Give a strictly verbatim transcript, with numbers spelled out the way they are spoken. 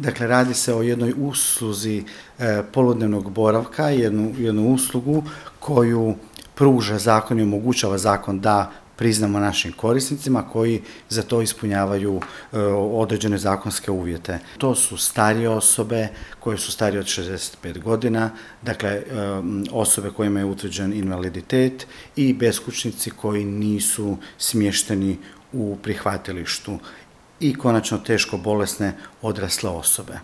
Dakle, radi se o jednoj usluzi e, poludnevnog boravka, jednu, jednu uslugu koju pruža zakon i omogućava zakon da priznamo našim korisnicima koji za to ispunjavaju e, određene zakonske uvjete. To su starije osobe koje su starije od šezdeset pet godina, dakle e, osobe kojima je utvrđen invaliditet i beskućnici koji nisu smješteni u prihvatilištu i konačno teško bolesne odrasle osobe.